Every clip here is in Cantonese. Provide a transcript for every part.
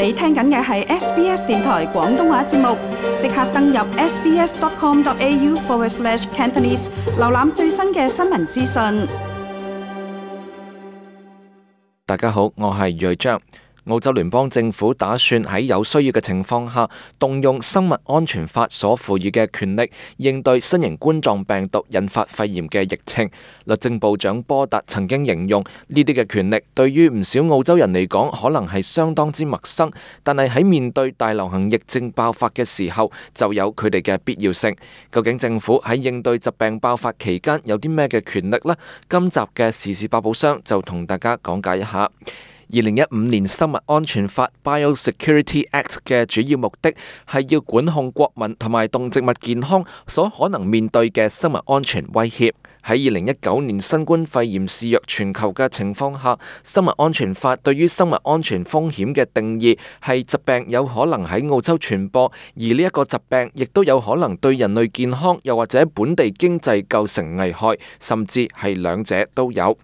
你聽緊嘅係 SBS 電台廣東話節目，即刻登入 sbs.com.au/cantonese 瀏覽最新嘅新聞資訊。大家好，我係睿章。澳洲聯邦政府打算喺有需要嘅情況下，動用生物安全法所賦予嘅權力，應對新型冠狀病毒引發肺炎嘅疫情。律政部長波達曾經形容呢啲嘅權力對於唔少澳洲人嚟講，可能係相當之陌生，但係喺面對大流行疫症爆發嘅時候，就有佢哋嘅必要性。究竟政府喺應對疾病爆發期間有啲咩嘅權力呢？今集嘅時事百寶箱就同大家講解一下。2015年生物安全法 Biosecurity Act 嘅主要目的係要管控國民同埋動植物健康所可能面對嘅生物安全威脅。喺2019年新冠肺炎肆虐全球嘅情況下，生物安全法對於生物安全風險嘅定義係疾病有可能喺澳洲傳播，而呢一個疾病亦都有可能對人類健康又或者本地經濟構成危害，甚至係兩者都有。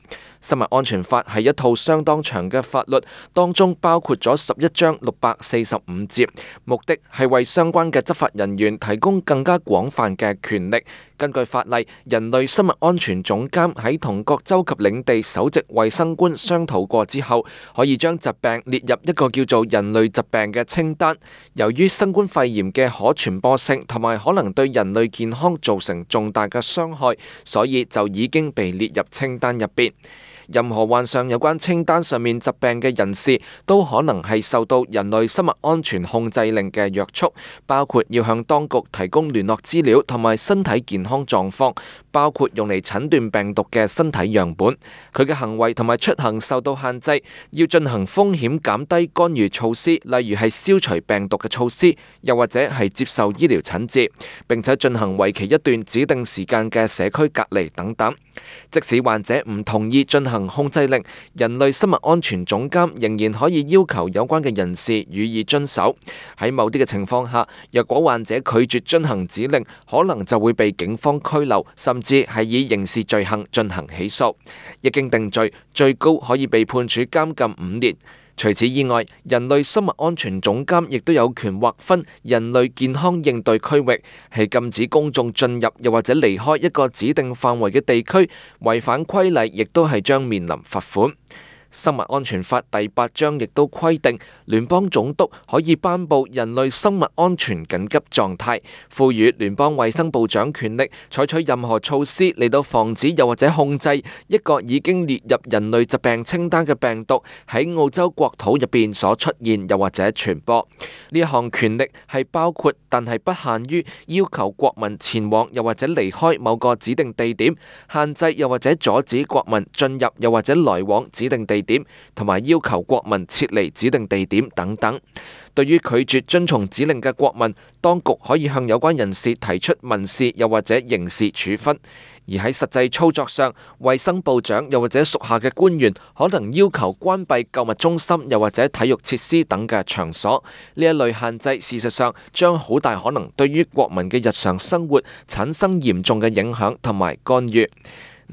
生物安全法係一套相當長嘅法律，當中包括咗11章645節，目的係為相關嘅執法人員提供更加廣泛嘅權力。根據法例，人類生物安全總監喺同各州及領地首席衛生官商討過之後，可以將疾病列入一個叫做人類疾病嘅清單。由於新冠肺炎嘅可傳播性同埋可能對人類健康造成重大嘅傷害，所以就已經被列入清單入邊。任何患上有關清單上面疾病嘅人士，都可能係受到人類生物安全控制令嘅約束，包括要向當局提供聯絡資料同埋身體健康狀況，包括用嚟診斷病毒嘅身體樣本。佢嘅行為同埋出行受到限制，要進行風險減低干預措施，例如係消除病毒嘅措施，又或者係接受醫療診治，並且進行為期一段指定時間嘅社區隔離等等。即使患者唔同意進行控制令，人類生物安全總監仍然可以要求有關嘅人士予以遵守。喺某啲嘅情況下，若果患者拒絕遵行指令，可能就會被警方拘留，甚至係以刑事罪行進行起訴。一經定罪，最高可以被判處監禁5年。除此以外，人類生物安全總監亦都有權劃分人類健康應對區域，係禁止公眾進入又或者離開一個指定範圍嘅地區，違反規例亦都係將面臨罰款。生物安全法第8章亦都規定，聯邦總督可以頒布人類生物安全緊急狀態，賦予聯邦衛生部長權力採取任何措施嚟到防止又或者控制一個已經列入人類疾病清單嘅病毒喺澳洲國土入邊所出現又或者傳播。呢一項權力係包括但係不限於要求國民前往又或者離開某個指定地點，限制又或者阻止國民進入又或者來往指定地點，同埋要求國民撤離指定地點等等。對於拒絕遵從指令嘅國民，當局可以向有關人士提出民事又或者刑事處分。而喺實際操作上，衛生部長又或者屬下嘅官員可能要求關閉購物中心又或者體育設施等嘅場所。呢一類限制事實上將好大可能對於國民嘅日常生活產生嚴重嘅影響同埋干預。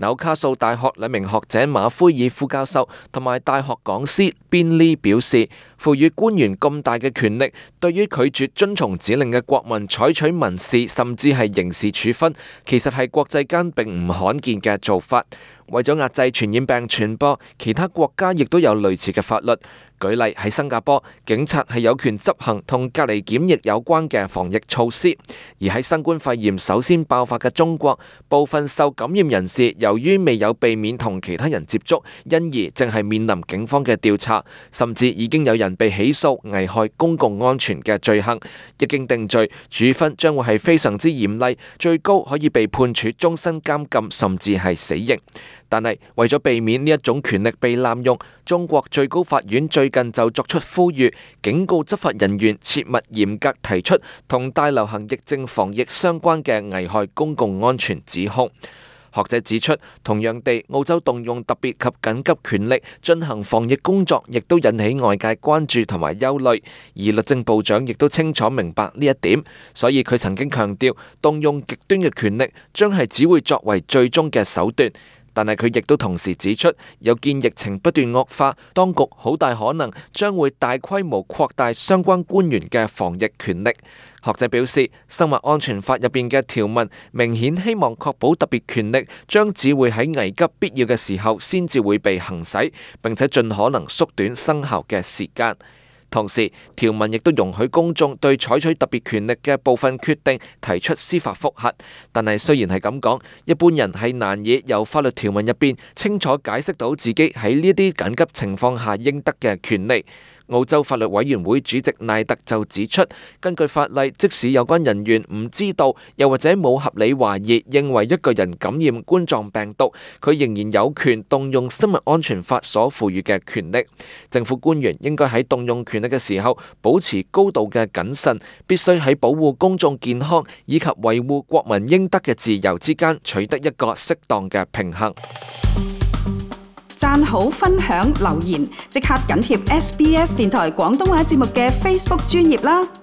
紐卡素大學兩名學者馬奎爾副教授同埋大學講師邊利表示，賦予官員咁大嘅權力，對於拒絕遵從指令嘅國民採取民事甚至係刑事處分，其實係國際間並唔罕見嘅做法。為咗壓制傳染病傳播，其他國家亦都有類似嘅法律。舉例喺新加坡，警察係有權執行同隔離檢疫有關嘅防疫措施；而喺新冠肺炎首先爆發嘅中國，部分受感染人士由於未有避免同其他人接觸，因而正係面臨警方嘅調查，甚至已經有人被起訴危害公共安全嘅罪行。一經定罪，處分將會係非常之嚴厲，最高可以被判處終身監禁，甚至係死刑。但係為咗避免呢一種權力被濫用，中國最高法院最近就作出呼籲，警告執法人員切勿嚴格提出同大流行疫症防疫相關嘅危害公共安全指控。學者指出，同樣地，澳洲動用特別及緊急權力進行防疫工作，亦都引起外界關注同埋憂慮。而律政部長亦都清楚明白呢一點，所以佢曾經強調，動用極端嘅權力將係只會作為最終嘅手段。但係佢亦都同時指出，有見疫情不斷惡化，當局好大可能將會大規模擴大相關官員嘅防疫權力。學者表示，生物安全法入邊嘅條文明顯希望確保特別權力將只會喺危急必要嘅時候先至會被行使，並且盡可能縮短生效嘅時間。同時，條文亦都容許公眾對採取特別權力嘅部分決定提出司法覆核。但係雖然係咁講，一般人係難以由法律條文入邊清楚解釋到自己喺呢啲緊急情況下應得嘅權利。澳洲法律委員會主席奈特就指出，根據法例，即使有關人員唔知道，又或者冇合理懷疑認為一個人感染冠狀病毒，佢仍然有權動用生物安全法所賦予嘅權力。政府官員應該喺動用權力嘅時候保持高度嘅謹慎，必須喺保護公眾健康以及維護國民應得嘅自由之間取得一個適當嘅平衡。讚好、分享、留言，即刻緊貼SBS 電台廣東話節目嘅 Facebook 專頁啦！